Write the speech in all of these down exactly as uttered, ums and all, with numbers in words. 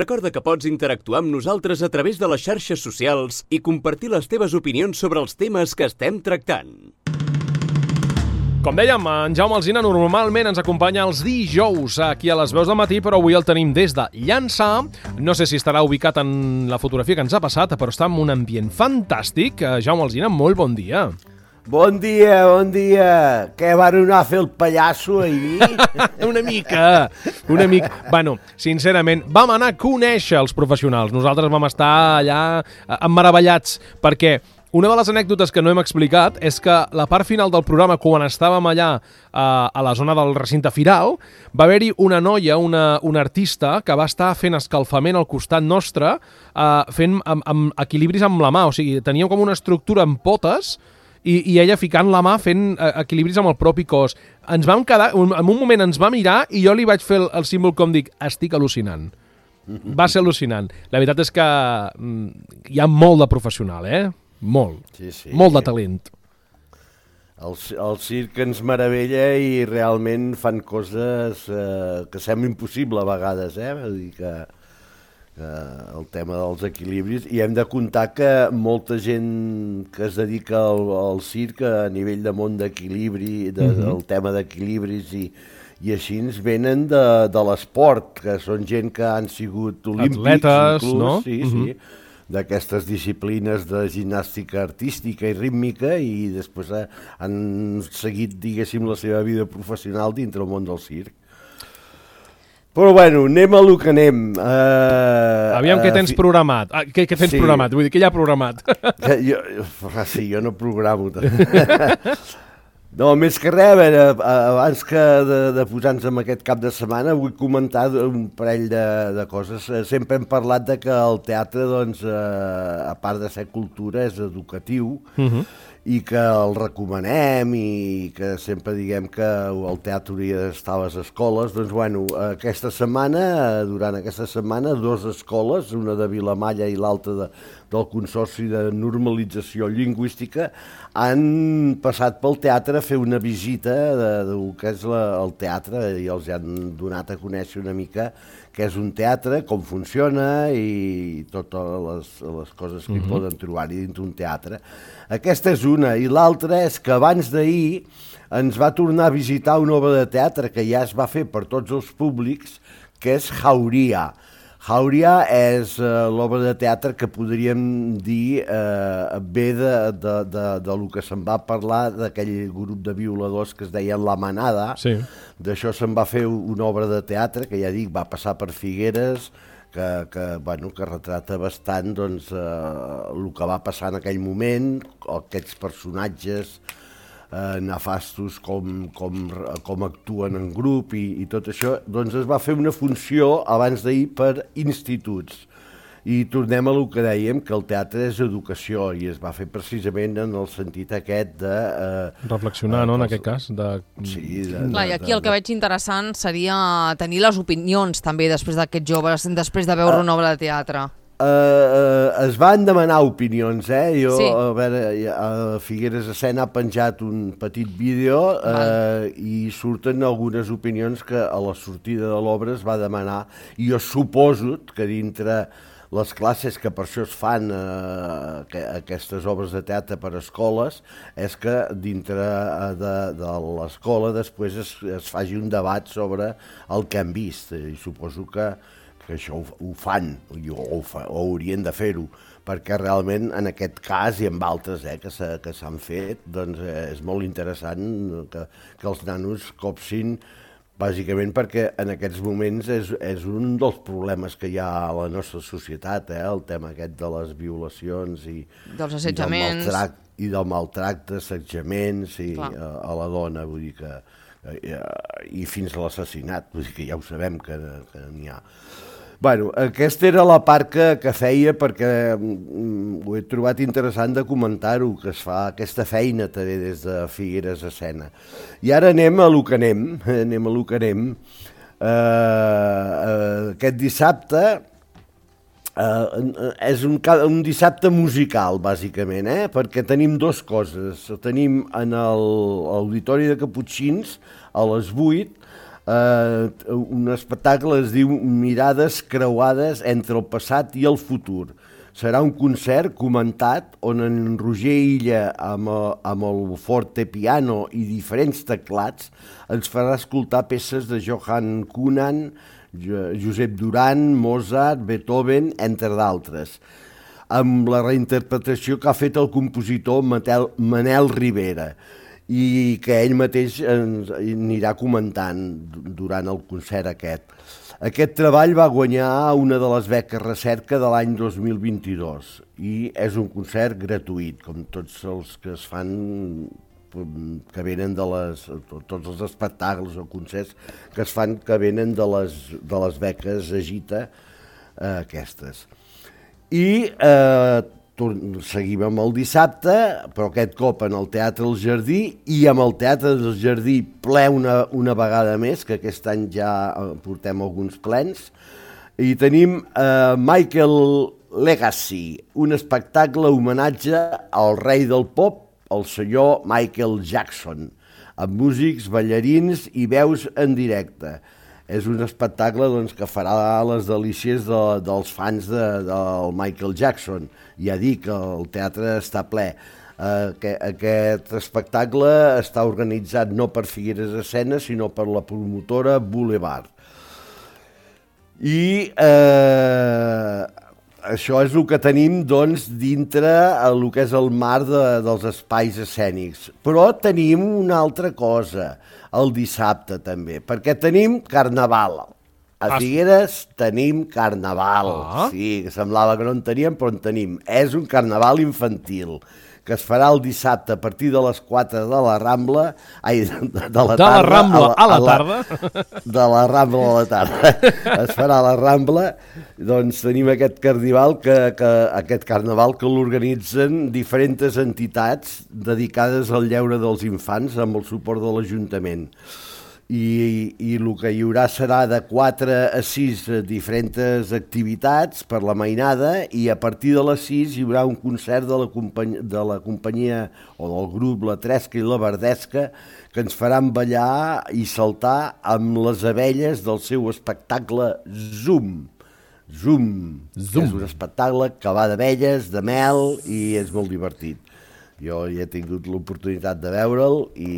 Recorda que pots interactuar amb nosaltres a través de les xarxes socials i compartir les teves opinions sobre els temes que estem tractant. Com dèiem, en Jaume Alsina normalment ens acompanya els dijous aquí a les veus del matí, però avui el tenim des de Llançà. No sé si estarà ubicat en la fotografia que ens ha passat, però està en un ambient fantàstic. Jaume Alsina, molt bon dia. Bon dia, bon dia. Què van anar a fer el pallasso ahir? Una mica, una mica. Bueno, sincerament, vam anar a conèixer els professionals. Nosaltres vam estar allà emmeravellats perquè una de les anècdotes que no hem explicat és que la part final del programa, quan estàvem allà eh, a la zona del recinte firal, va haver-hi una noia, una, una artista, que va estar fent escalfament al costat nostre, eh, fent amb, amb equilibris amb la mà. O sigui, tenia com una estructura amb potes i, i ella ficant la mà fent eh, equilibris amb el propi cos. Ens vam quedar, en un moment ens va mirar i jo li vaig fer el, el símbol com dic, estic al·lucinant. Va ser al·lucinant. La veritat és que mm, hi ha molt de professional, eh? Molt, sí, sí. molt de talent. El, el circ ens meravella i realment fan coses eh, que sembla impossible a vegades, eh? Vull dir que, que el tema dels equilibris, i hem de comptar que molta gent que es dedica al, al circ a nivell de món d'equilibri, de, uh-huh. del tema d'equilibris i, i així ens venen de, de l'esport, que són gent que han sigut olímpics, atletes, inclús, no? Sí, uh-huh. sí. d'aquestes disciplines de gimnàstica artística i rítmica i després han seguit, diguéssim, la seva vida professional dintre el món del circ. Però bueno, anem a lo que anem. Uh, Aviam, uh, què tens fi... programat? Ah, què, què tens sí. programat? Vull dir, què hi ha programat? Jo, sí, jo no programo. No, més que res, a veure, abans que de, de posar-nos en aquest cap de setmana, vull comentar un parell de, de coses. Sempre hem parlat de que el teatre, doncs, eh, a part de ser cultura, és educatiu, uh-huh. i que el recomanem i que sempre diguem que el teatre hauria d'estar a les escoles. Doncs, bueno, aquesta setmana, durant aquesta setmana, dues escoles, una de Vilamalla i l'altra de, del Consorci de Normalització Lingüística, han passat pel teatre a fer una visita de, del que és la, el teatre i els han donat a conèixer una mica què és un teatre, com funciona i totes les, les coses que hi uh-huh. poden trobar-hi dins un teatre. Aquesta és una, i l'altra és que abans d'ahir ens va tornar a visitar una obra de teatre que ja es va fer per tots els públics, que és Jauria. Jauria és uh, l'obra de teatre que podríem dir uh, ve de, de, de, de lo que se'n va parlar d'aquell grup de violadors que es deien La Manada. Sí. D'això se'n va fer una obra de teatre que, ja dic, va passar per Figueres, que, que, bueno, que retrata bastant doncs, uh, el que va passar en aquell moment, aquests personatges Eh, nefastos, com, com, com actuen en grup i, i tot això, doncs es va fer una funció abans d'ahir per instituts. I tornem a lo que dèiem, que el teatre és educació, i es va fer precisament en el sentit aquest de... Eh, reflexionar, eh, no?, en aquest cas. De... Sí, de, Clar, i aquí de, el que veig interessant seria tenir les opinions també després d'aquests joves, després de veure uh, una obra de teatre. Uh, uh, es van demanar opinions, eh? Jo, sí. a veure, a Figueres Escena ha penjat un petit vídeo uh, i surten algunes opinions que a la sortida de l'obra es va demanar, i jo suposo que dintre les classes que per això es fan uh, que, aquestes obres de teatre per escoles, és que dintre de, de l'escola després es, es faci un debat sobre el que han vist, i suposo que que això ho, ho fan, o, ho fa, o haurien de fer-ho, perquè realment en aquest cas i en altres eh, que s'han fet, doncs eh, és molt interessant que, que els nanos copsin, bàsicament perquè en aquests moments és, és un dels problemes que hi ha a la nostra societat, eh, el tema aquest de les violacions i, dels assetjaments, i del maltracte, i del maltracte, assetjaments i, a, a la dona, vull dir que eh, i fins a l'assassinat, vull dir que ja ho sabem que, que n'hi ha. Bueno, aquesta era la part que, que feia perquè mm, ho he trobat interessant de comentar-ho, que es fa aquesta feina també des de Figueres Escena. I ara anem a lo que anem, anem a lo que anem. Uh, uh, aquest dissabte uh, és un, un dissabte musical, bàsicament, eh? Perquè tenim dues coses. Tenim en l'Auditori de Caputxins, a les vuit, Uh, un espectacle es diu Mirades creuades entre el passat i el futur. Serà un concert comentat on en Roger Illa, amb el, amb el forte piano i diferents teclats, ens farà escoltar peces de Johann Kuhn, Josep Duran, Mozart, Beethoven, entre d'altres, amb la reinterpretació que ha fet el compositor Matel, Manel Rivera, i que ell mateix ens anirà comentant durant el concert aquest. Aquest treball va guanyar una de les beques recerca de l'any dos mil vint-i-dos i és un concert gratuït, com tots els que es fan, que venen de les, tots els espectacles o concerts que es fan que venen de les, de les beques Agita, eh, aquestes. I eh, seguim amb el dissabte, però aquest cop en el Teatre del Jardí, i amb el Teatre del Jardí ple una, una vegada més, que aquest any ja portem alguns plens, i tenim eh, Michael Legacy, un espectacle homenatge al rei del pop, el senyor Michael Jackson, amb músics, ballarins i veus en directe. És un espectacle doncs, que farà les delícies de, dels fans de, del Michael Jackson. Ja dic que el teatre està ple. Uh, que, aquest espectacle està organitzat no per Figueres Escena, sinó per la promotora Boulevard. I eh, això és el que tenim doncs, dintre el que és el mar de, dels espais escènics. Però tenim una altra cosa, el dissabte també, perquè tenim carnaval. A Figueres tenim carnaval. Ah. Sí, que semblava que no en teníem, però en tenim. És un carnaval infantil, que es farà el dissabte a partir de les quatre de la Rambla, ai, de, de la de tarda. la Rambla a la, a la tarda? De la Rambla a la tarda. Es farà a la Rambla, doncs tenim aquest carnaval que, que, aquest carnaval que l'organitzen diferents entitats dedicades al lleure dels infants amb el suport de l'Ajuntament. I, i el que hi haurà serà de quatre a sis diferents activitats per la mainada i a partir de les sis hi haurà un concert de la, company de la companyia o del grup La Tresca i la Verdesca que ens faran ballar i saltar amb les abelles del seu espectacle Zoom. Zoom. Zoom. És un espectacle que va d'abelles, de mel i és molt divertit. Jo ja he tingut l'oportunitat de veure'l i,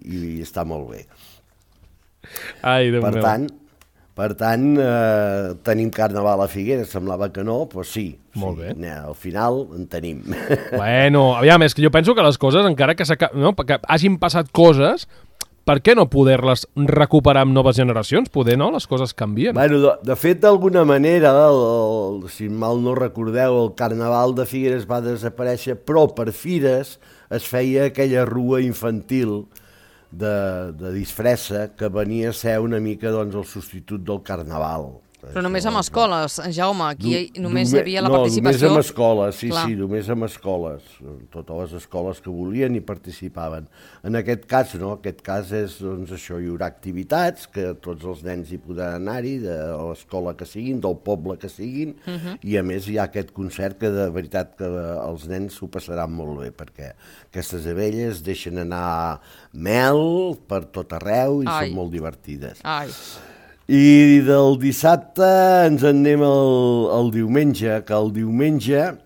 i està molt bé. Ai, Déu per meu. tant, per tant eh, tenim carnaval a Figueres, semblava que no, però sí, Molt sí bé. al final en tenim. Bueno, aviam, és que jo penso que les coses, encara que, no, que hagin passat coses, per què no poder-les recuperar amb noves generacions? Poder, no? Les coses canvien. Bueno, de, de fet, d'alguna manera, el, el, si mal no recordeu, el carnaval de Figueres va desaparèixer, però per Fires es feia aquella rua infantil de, de disfressa que venia a ser una mica doncs, el substitut del carnaval. Però només amb escoles, Jaume, aquí Du, només hi havia la no, participació... només amb escoles, sí, Clar. sí, només amb escoles. Totes les escoles que volien hi participaven. En aquest cas, no, aquest cas és, doncs, això, hi haurà activitats, que tots els nens hi podran anar-hi, de l'escola que siguin, del poble que siguin, uh -huh. i a més hi ha aquest concert que de veritat que els nens s'ho passaran molt bé, perquè aquestes abelles deixen anar mel per tot arreu i Ai. Són molt divertides. Ai. I del dissabte ens en anem al, al diumenge, que el diumenge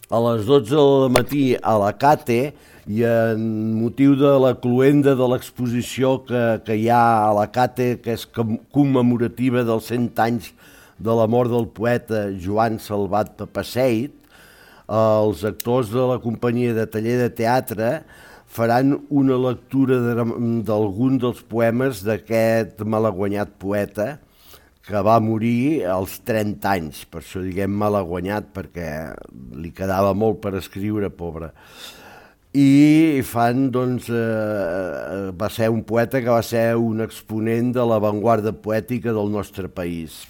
a les dotze del matí a la Cate i en motiu de la cloenda de l'exposició que, que hi ha a la Cate, que és commemorativa dels cent anys de la mort del poeta Joan Salvat Papasseit, els actors de la companyia de taller de teatre faran una lectura d'algun dels poemes d'aquest malaguanyat poeta que va morir als trenta anys, per això diguem malaguanyat, perquè li quedava molt per escriure, pobre. I fan, doncs, eh, va ser un poeta que va ser un exponent de l'avantguarda poètica del nostre país.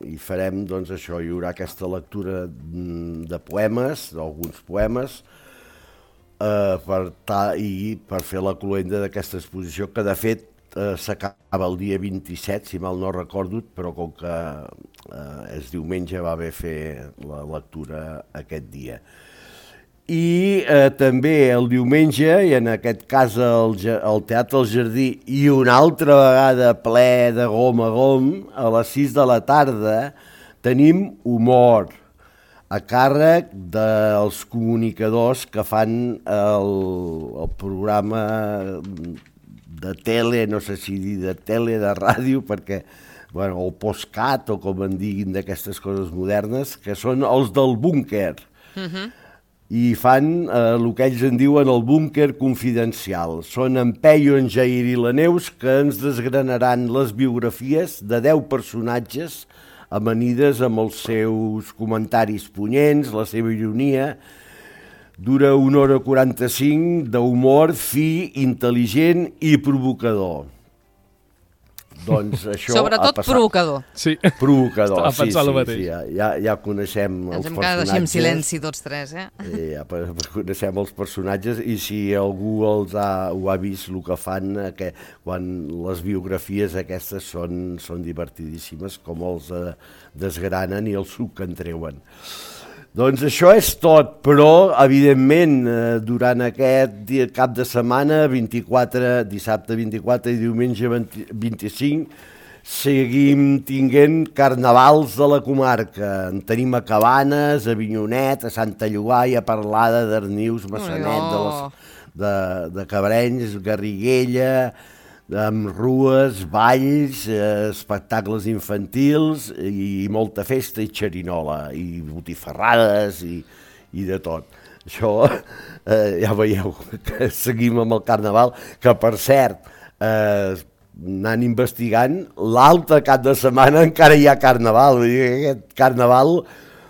I farem, doncs, això, hi haurà aquesta lectura de poemes, d'alguns poemes, Uh, per ta, i per fer la cloenda d'aquesta exposició, que de fet uh, s'acaba el dia vint-i-set, si mal no recordo, però com que uh, és diumenge va haver fer la lectura aquest dia. I eh, també el diumenge, i en aquest cas el, el Teatre del Jardí, i una altra vegada ple de gom a gom, a les sis de la tarda, tenim humor a càrrec dels comunicadors que fan el, el programa de tele, no sé si dir de tele, de ràdio, perquè, bueno, el postcat, o com en diguin d'aquestes coses modernes, que són els del búnquer. Uh-huh. I fan eh, el que ells en diuen el búnquer confidencial. Són en Peyu, en Jair i la Neus, que ens desgranaran les biografies de deu personatges amanides amb els seus comentaris punyents, la seva ironia. Dura una hora quaranta-cinc d'humor fi, intel·ligent i provocador. Doncs això Sobretot provocador. Sí. Provocador, Estava sí, pensant sí, el mateix. sí, ja, ja, ja coneixem Ens els hem personatges. quedat així en silenci tots tres, eh? Eh, ja coneixem els personatges i si algú els ha, ho ha vist el que fan, eh, que quan les biografies aquestes són, són divertidíssimes, com els eh, desgranen i el suc que en treuen. Doncs això és tot, però, evidentment, eh, durant aquest dia, cap de setmana, vint-i-quatre, dissabte vint-i-quatre i diumenge vint-i-cinc, seguim tinguent carnavals de la comarca. En tenim a Cabanes, a Avinyonet, a Santa Llogaia, a Parlada, Darnius, Massanet, de, les, de, de Cabrenys, Garriguella, amb rues, balls, eh, espectacles infantils i molta festa i xerinola, i botifarrades i, i de tot. Això eh, ja veieu que seguim amb el carnaval, que per cert, eh, anant investigant, l'altre cap de setmana encara hi ha carnaval, vull dir que aquest carnaval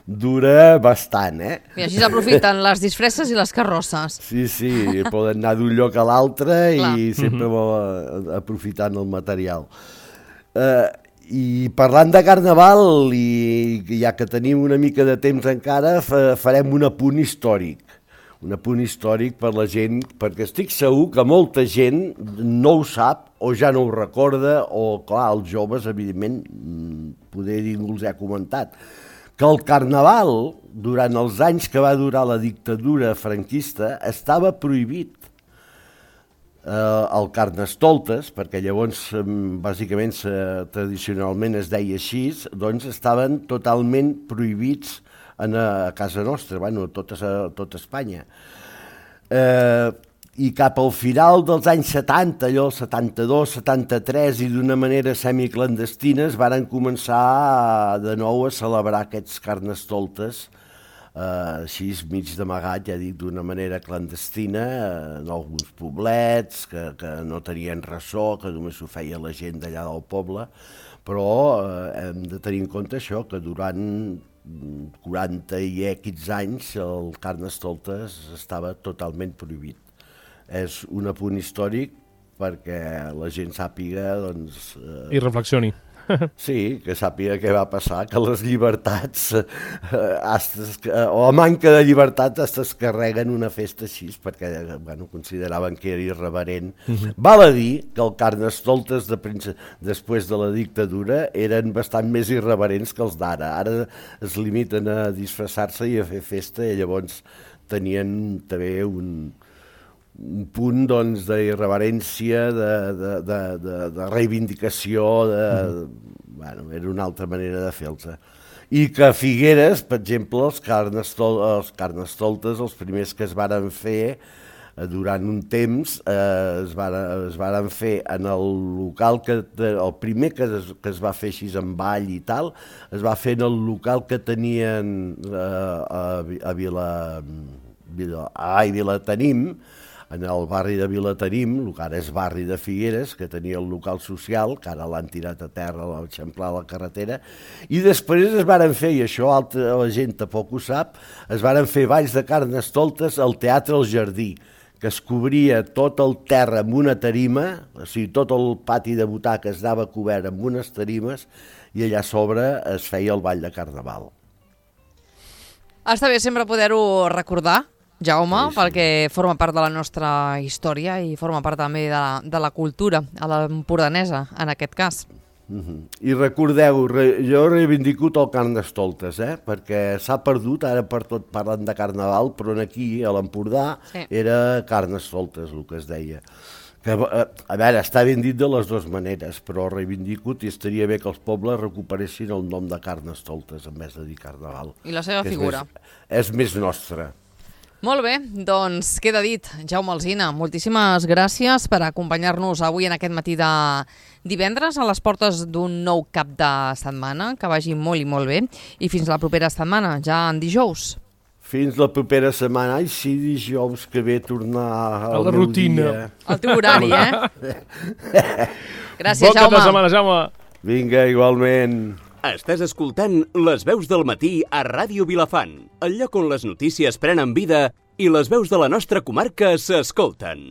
dura bastant, eh? I així s'aprofiten les disfresses i les carrosses. Sí, sí, poden anar d'un lloc a l'altre i sempre mm-hmm. aprofitant el material. Eh, I parlant de carnaval, i ja que tenim una mica de temps encara, farem un apunt històric. Un apunt històric per la gent, perquè estic segur que molta gent no ho sap o ja no ho recorda, o clar, els joves, evidentment, poder ningú els ha comentat, que el carnaval, durant els anys que va durar la dictadura franquista, estava prohibit. Eh, el Carnestoltes, perquè llavors bàsicament tradicionalment es deia així, doncs estaven totalment prohibits en, a casa nostra, bueno, tot, a, tot Espanya. Eh, I cap al final dels anys setanta, allò, setanta-dos, setanta-tres, i d'una manera semiclandestina, es varen començar de nou a celebrar aquests carnestoltes, eh, així mig d'amagat, ja dic, d'una manera clandestina, eh, en alguns poblets, que, que no tenien ressò, que només ho feia la gent d'allà del poble, però eh, hem de tenir en compte això, que durant quaranta i equis anys el carnestoltes estava totalment prohibit. És un apunt històric perquè la gent sàpiga, doncs... Eh, I reflexioni. Sí, que sàpiga què va passar, que les llibertats, eh, o a manca de llibertat, es carreguen una festa així, perquè bueno, consideraven que era irreverent. Uh-huh. Val a dir que el Carnestoltes de prince... després de la dictadura eren bastant més irreverents que els d'ara. Ara es limiten a disfressar-se i a fer festa, i llavors tenien també un... un punt doncs, d'irreverència, de, de, de, de, de reivindicació, de, mm. bueno, era una altra manera de fer-los. I que a Figueres, per exemple, els, carnestol, els carnestoltes, els primers que es varen fer eh, durant un temps, eh, es, varen, es varen fer en el local, que el primer que es, que es va fer així en ball i tal, es va fer en el local que tenien eh, a, a Vila... Vila ai, Vilatenim, en el barri de Vilatenim, el que ara és barri de Figueres, que tenia el local social, que ara l'han tirat a terra, l'han eixamplat a la carretera, i després es varen fer, i això altra, la gent tampoc ho sap, es varen fer balls de carnestoltes al Teatre del Jardí, que es cobria tot el terra amb una tarima, o sigui, tot el pati de butaques anava cobert amb unes tarimes, i allà a sobre es feia el ball de carnaval. Està bé sempre poder-ho recordar, Jaume, sí, sí. perquè forma part de la nostra història i forma part també de la, de la cultura, a l'empordanesa, en aquest cas. Mm-hmm. I recordeu, re, jo reivindico el Carnestoltes, eh? Perquè s'ha perdut, ara per tot parlen de Carnaval, però aquí, a l'Empordà, sí. era Carnestoltes, el que es deia. Que, a veure, està ben dit de les dues maneres, però reivindico i estaria bé que els pobles recuperessin el nom de Carnestoltes en vez de dir Carnaval. I la seva figura. És més, és més nostra. Molt bé, doncs queda dit. Jaume Alsina, moltíssimes gràcies per acompanyar-nos avui en aquest matí de divendres a les portes d'un nou cap de setmana. Que vagi molt i molt bé. I fins la propera setmana, ja en dijous. Fins la propera setmana. Ai, sí, dijous que ve tornar a la rutina. Dia. Al teu horari, eh? Gràcies, bon Jaume. Bon cap de setmana, Jaume. Vinga, igualment. Estàs escoltant Les veus del matí a Ràdio Vilafant, el lloc on les notícies prenen vida i les veus de la nostra comarca s'escolten.